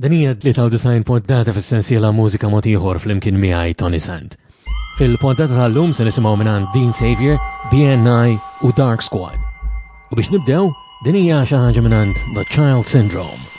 Din hija 93 poddata fis-sensiela Mużika Mod Ieħor flimkien miegħi Tony Sant. Fil-poddata tal-lum se nisimgħu mingħand Dean Xavier, BNI u Dark Squad. U biex nibdew, din hija xi ħaġa mingħand The Child Syndrome.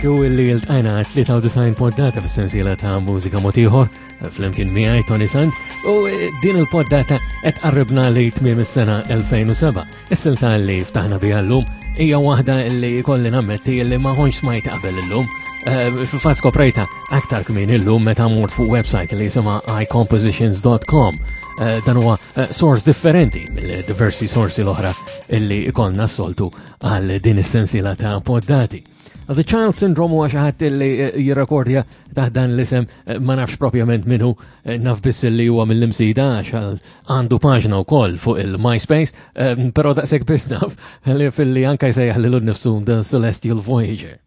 U illi l-tajna 93 poddata fis-sensiela ta' mużika motiħor flimkien miegħi Tony Sant u eh, din il-poddata qed qarribna li tmiem is-sena 2007. Is-silta li ftaħna biha llum hija waħda li kolli nammetti li ma ħonx smajt qabel illum. Eh, fil-fatt skoprejta aktar kmin illum meta mort fuq website li jisimha icompositions.com. Eh, dan huwa eh, source differenti mill-diversi sorsi l-oħra illi ikollna s-soltu għal din is-sensiela ta' poddati. The Child Syndrome huwa xi ħadd li eh, jirrekordja taħt dan l-isem eh, ma nafx propjament minhu eh, naf biss li huwa mill-imsida għax għandu paġna wkoll fuq il-MySpace, però daqshekk biss naf li fil-li anka jsejjaħ lilu nnifsu The Celestial Voyager.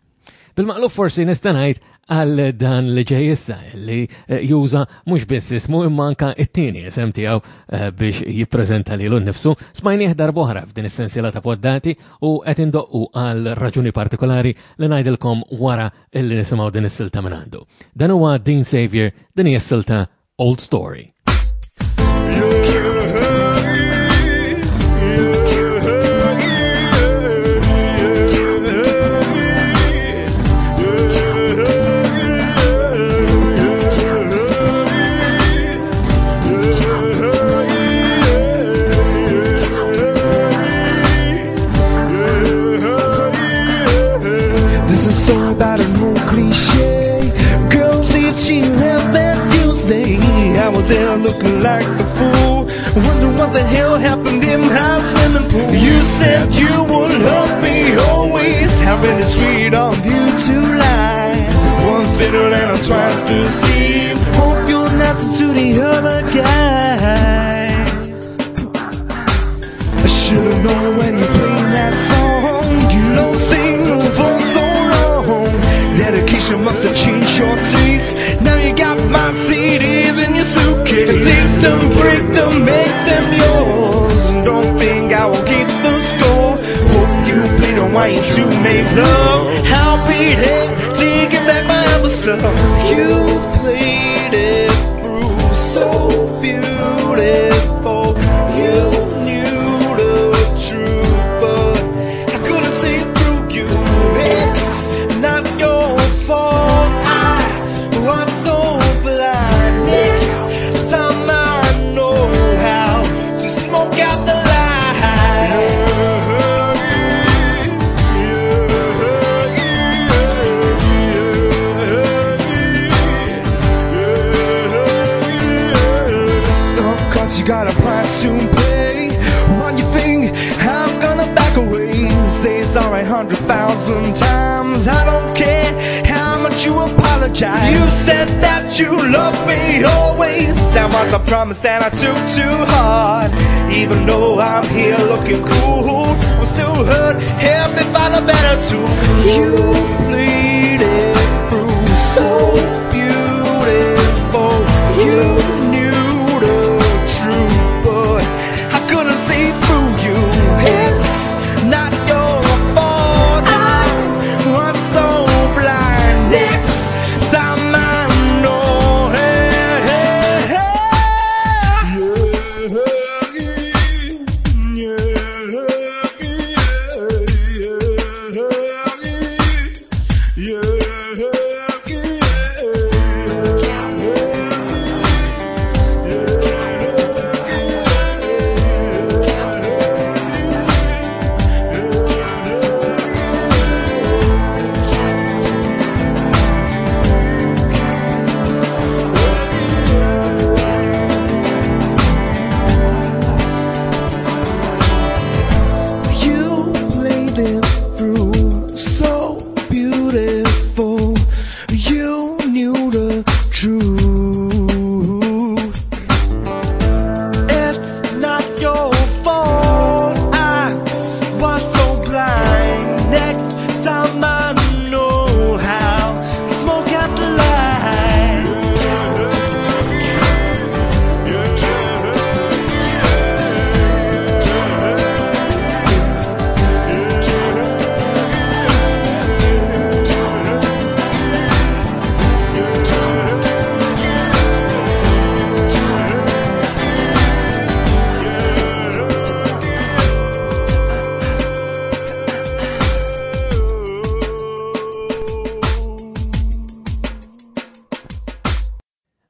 Bil-maqlub forsi nista' ngħid għal dan li ġej issa li eh, juża mhux biss ismu imma anka it-tieni isem tiegħu eh, biex jippreżenta lilu nnifsu. Smajnieh darb'oħra f'din is-sensiela ta' poddati u qed indoqqu għal raġuni partikolari li ngħidilkom wara illi nisimgħu din is-silta minn għandu. Dan huwa Dean Xavier, din hija s-silta Old Story. This is a story about an old cliche. Girl leaves, she left last Tuesday. I was there looking like the fool. Wonder what the hell happened in my swimming pool. You said you would love me always. How really sweet of you to lie. Once bitter and twice deceived. Hope you're nicer to the other guy. I should've known when you played that song. You lost things for so long. Dedication must have changed your taste. Now you got my CDs in your suitcase. Take them, break them, make them yours. Don't think I will keep the score. Hope you play the wine to make love. I'll be there taking back my other stuff. You played it through so beautiful. You knew the truth, but I couldn't see through you. It's not your fault. I was so blind. Next time I know how to smoke out the light. Of course you got a price to pay. What you think I'm gonna back away? Say sorry 100,000 times. I don't care how much you apologize. You said that you love me always. That was a promise that I took too hard. Even though I'm here looking cool, I'm still hurt. Help me find a better tool. You played it through so beautiful. You knew the truth, but I couldn't see through you. It's not your fault. I was so blind. Next time I know. Hey, hey, hey. You played it through so beautiful. You knew the truth. It's not your fault. I was so blind. Next time I know how to smoke out the light.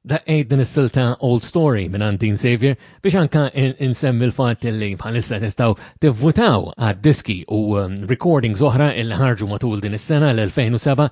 Daqqejt din is-silta Old Story minn Dean Xavier biex anka insemmi l-fatt li bħalissa tistgħu tivvutaw għad-diski u recordings oħra illi ħarġu matul din is-sena l-2007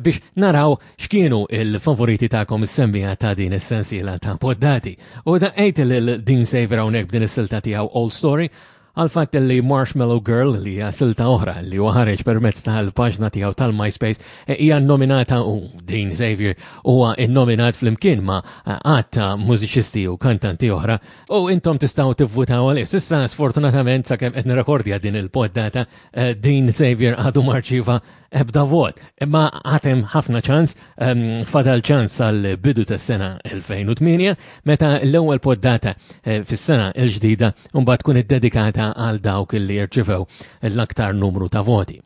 biex naraw x'kienu il-favoriti tagħkom is-semmija ta' din is-sensiela ta' poddati. U daqqejt lil Dean Xavier hawnhekk b'din is-silta tiegħu Old Story. għal fatt li Marshmallow Girl li hija silta oħra li huwa ħareġ permezz tal-paġna tiegħu tal-MySpace eh, hija nominata u Dean Xavier huwa innominat flimkien ma' għadd ta' mużiċisti u kantanti oħra u intom tistgħu tivvutaw għalih. Sissa sfortunatament sakemm qed nirrekordja din il-poddata eh, Dean Xavier għadu marċiva ebda vot. Imma għatem ħafna ċans, ehm, fadal ċans għal bidu tas sena 2008, meta l-ewwel poddata eh, fis-sena l-ġdida mbagħad tkun iddedikata għal dawk li jirċivew l-aktar numru ta' voti.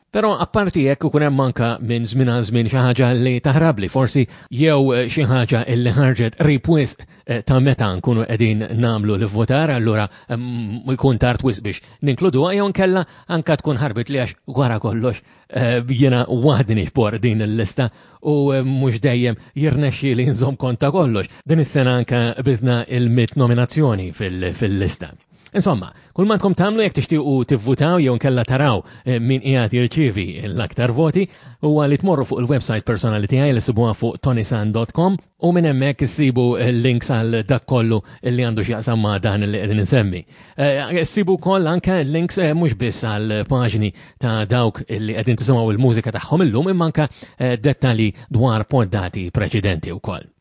Però apparti jekk ikun hemm anka minn żmien għal żmien xi ħaġa li taħrabli forsi jew eh, xi ħaġa li ħarġet qrib wisq eh, ta' meta nkunu qegħdin nagħmlu l-votar allura mm, jkun tard wisq biex ninkluduha jew nkella anka tkun ħarbit li għax wara kollox eh, jiena waħdi nixbor din il-lista u mhux dejjem jirnexxi li nżomm kont ta' kollox. Din is-sena anka biżna il-mit nominazzjoni fil-lista. Insomma, kull ma tkom tagħmlu jekk tixtiequ tivvutaw jew nkella taraw eh, min qiegħed jirċievi l-aktar voti huwa li tmorru fuq il-website personali tiegħi li sibuha fuq tonisan.com u minn hemmhekk issibu links għal dak kollu li għandu x'jaqsam ma' dan li qegħdin insemmi. Eh, sibu wkoll anke links eh, mhux biss għal paġni ta' dawk li qegħdin tisimgħu il-mużika tagħhom illum imma anke dettalji dwar poddati preċedenti wkoll.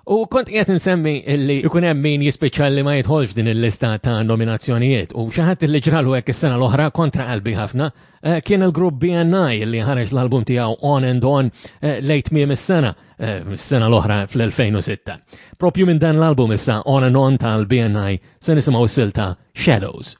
U kont qiegħed insemmi li jkun hemm min jispiċċa li ma jidħolx din il-lista ta' nominazzjonijiet u xi ħadd li ġralu hekk is-sena l-oħra kontra qalbi ħafna eh, kien il-grupp BNI li ħareġ l-album tiegħu On and On eh, lejt tmiem is-sena, eh, is-sena l-oħra fl-2006. Propju minn dan l-album issa On and On tal-BNI se nisimgħu silta Shadows.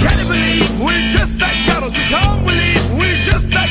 Can you believe we're just like shadows? We can't believe we're just like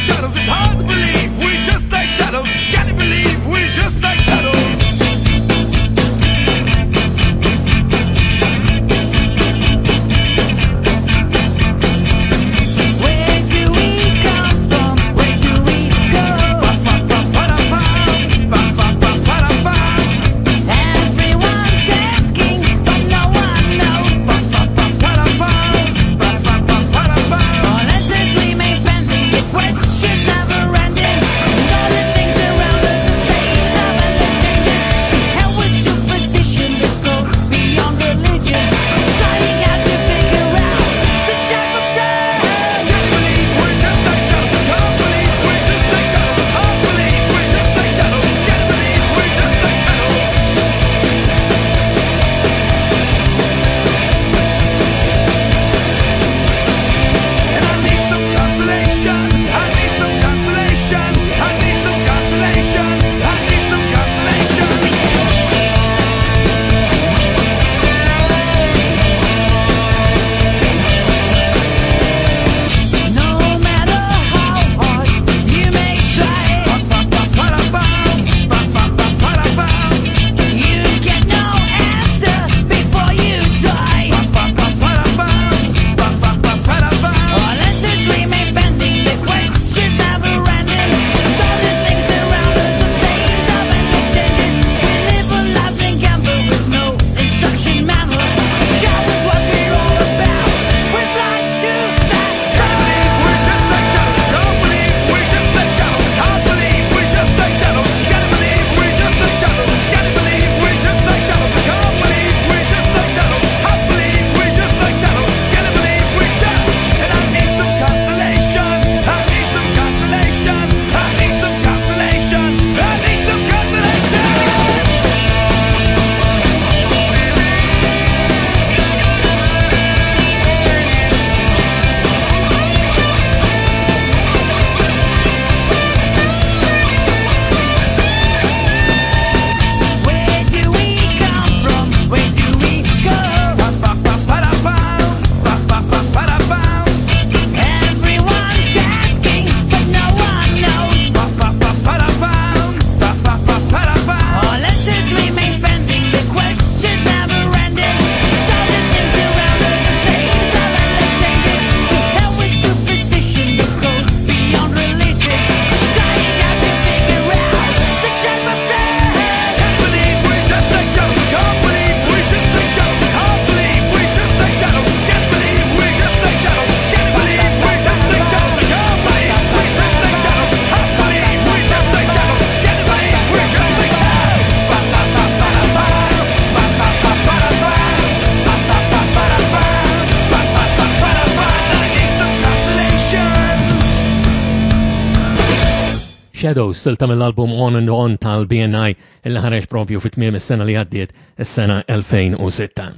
Shadows, silta mill-album On and On tal-BNI illi ħareġ propju fit-tmiem is-sena li għaddiet, is-sena 2006.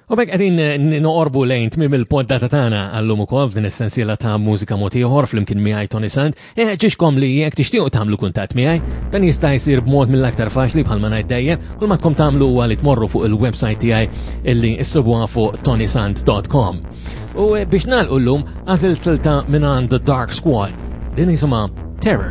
U bekk qegħdin eh, noqorbu lejn tmiem il-poddata tagħna għallum ukoll f'din is-sensiela ta' mużika mod ieħor flimkien miegħi Tony Sant. Inħeġġixkom li jekk tixtiequ tagħmlu kuntatt miegħi, dan jista' jsir b'mod mill-aktar faċli bħalma ngħid dejjem, kull ma tkom tagħmlu huwa li tmorru fuq il-website tiegħi illi issibuha fuq tonysant.com. U eh, biex nagħlqu llum għażilt silta minn The Dark Squad. Din jisimha Terror.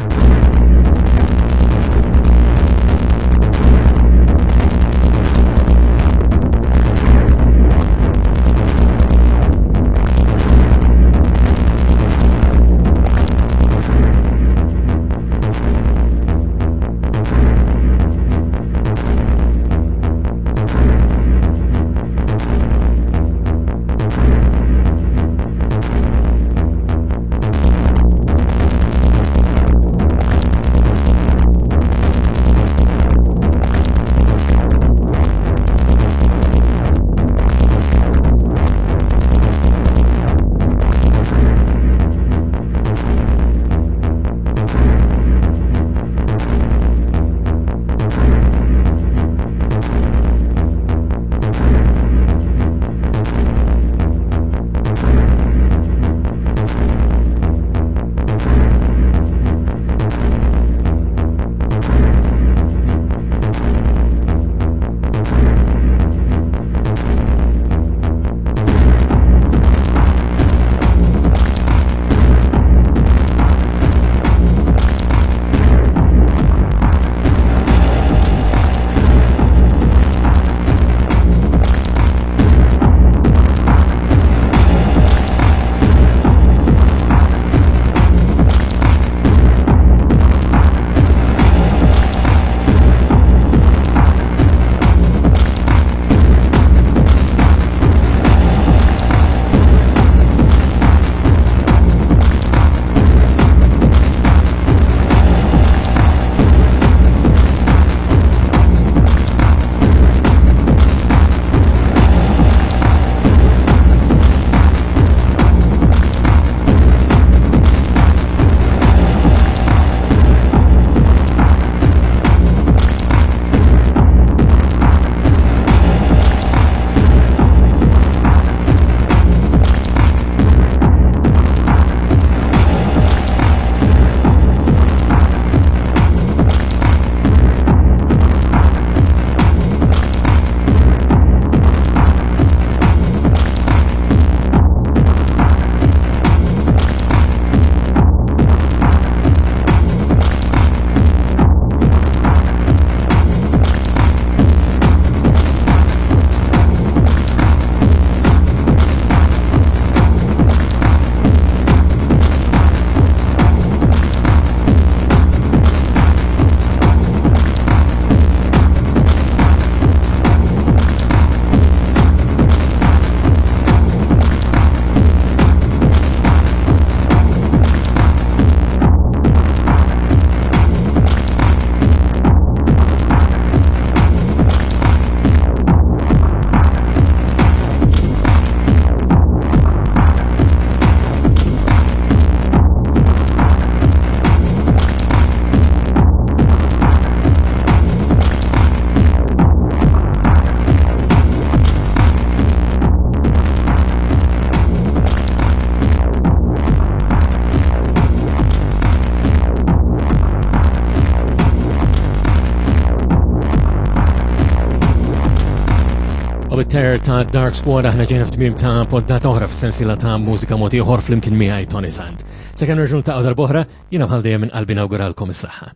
U bit-terror ta' Dark Squad aħna ġejna f'tmiem ta' poddata oħra fis-sensiela ta' mużika mod ieħor flimkien miegħi Tony Sant. Sakemm nerġgħu ta' darb'oħra, jiena bħal dejjem minn qalbi nawguralkom is-saħħa.